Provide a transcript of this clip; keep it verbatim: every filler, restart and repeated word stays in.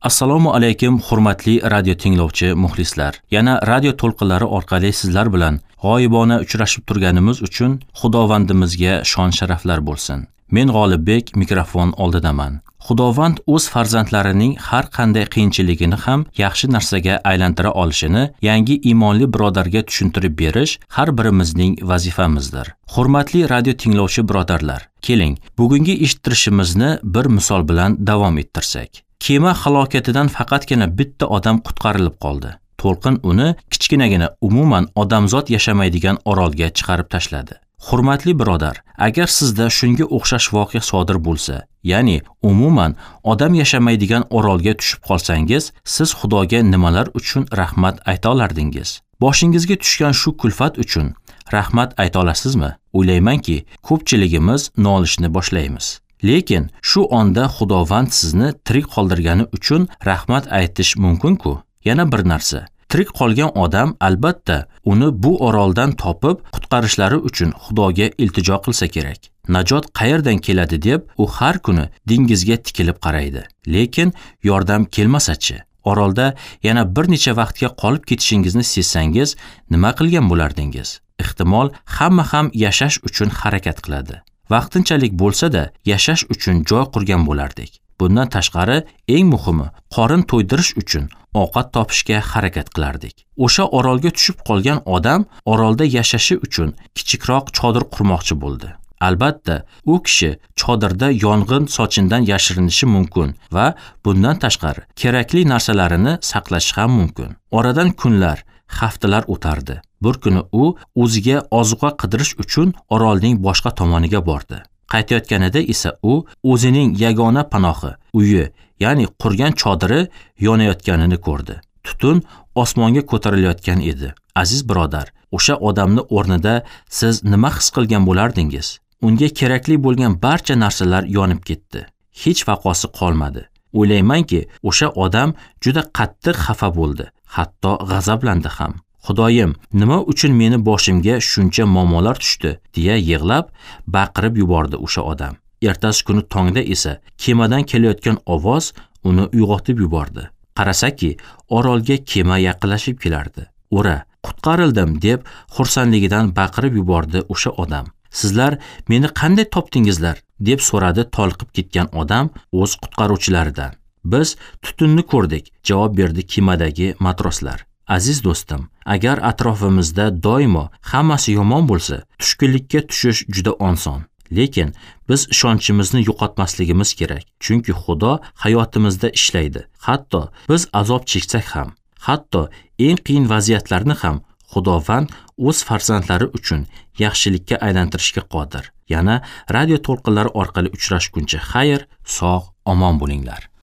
Assalomu alaykum hurmatli radio tinglovchi muxlislar. Yana radio to'lqinlari orqali sizlar bilan g'oyibona uchrashib turganimiz uchun Xudovandimizga shon sharaflar bo'lsin. Men G'olibbek mikrofon oldidaman. Xudovand o'z farzandlarining har qanday qiyinchiligini ham yaxshi narsaga aylantira olishini yangi iymonli birodarga tushuntirib berish har birimizning vazifamizdir. Hurmatli radio tinglovchi birodarlar, keling, bugungi eshittirishimizni bir misol bilan davom ettirsak. Kema halokatidan faqatgina bitta odam qutqarilib qoldi. To'lqin uni kichkinagina, umuman odamzod yashamaydigan orolga chiqarib tashladi. Hurmatli birodar, agar sizda shunga o'xshash voqea sodir bo'lsa, ya'ni umuman odam yashamaydigan orolga tushib qolsangiz, siz Xudoga nimalar uchun rahmat ayta olardingiz? Boshingizga tushgan shu kulfat uchun rahmat ayta olasizmi? O'ylaymanki, ko'pchiligimiz nolishni boshlaymiz. Lekin shu onda Xudovand sizni tirik qoldirgani uchun rahmat aytish mumkin-ku. Yana bir narsa, tirik qolgan odam albatta uni bu oroldan topib qutqarishlari uchun Xudoga iltijo qilsa kerak. Najot qayerdan keladi deb u har kuni dengizga tikilib qaraydi. Lekin yordam kelmasa-chi? Orolda yana bir necha vaqtga qolib ketishingizni sezsangiz, nima qilgan bo'lardingiz? Ehtimol, hamma ham yashash uchun harakat qiladi. Vaqtinchalik bo'lsa-da yashash uchun joy qurgan bo'lardik. Bundan tashqari, eng muhimi, qorin to'ydirish uchun ovqat topishga harakat qilardik. O'sha orolga tushib qolgan odam orolda yashashi uchun kichikroq chodir qurmoqchi bo'ldi. Albatta, u kishi chodirda yong'in sochindan yashirinishi mumkin va bundan tashqari kerakli narsalarini saqlashi ham mumkin. Oradan kunlar, haftalar o'tardi. Bir kuni u o'ziga ozuqa qidirish uchun orolning boshqa tomoniga bordi. Qaytayotganida esa u o'zining yagona panohi, uyi, ya'ni qurgan chodiri yonayotganini ko'rdi. Tutun osmonga ko'tarilayotgan edi. Aziz birodar, o'sha odamni o'rnida siz nima his qilgan bo'lardingiz? Unga kerakli bo'lgan barcha narsalar yonib ketdi. Hech vaqosi qolmadi. O'ylaymanki, o'sha odam juda qattiq xafa bo'ldi, hatto g'azablandi ham. Xudoyim, nima uchun meni boshimga shuncha muammolar tushdi, deya yig'lab, baqirib yubordi o'sha odam. Ertasi kuni tongda esa kemadan kelayotgan ovoz uni uyg'otib yubordi. Qarasaki, orolga kema yaqinlashib kelardi. Ura, qutqarildim deb xursandligidan baqirib yubordi o'sha odam. Sizlar meni qanday topdingizlar? deb so'radi tolqib ketgan odam o'z qutqaruvchilaridan. Biz tutunni ko'rdik, javob berdi kemadagi matroslar. Aziz do'stim, agar atrofimizda doimo hammasi yomon bo'lsa, tushkunlikka tushish juda oson. Lekin biz ishonchimizni yo'qotmasligimiz kerak, chunki Xudo hayotimizda ishlaydi. Hatto biz azob cheksak ham, hatto eng qiyin vaziyatlarni ham Xudovand o'z farzandlari uchun yaxshilikka aylantirishga qodir. Yana radio to'lqinlari orqali uchrashguncha xayr, sog', omon bo'linglar.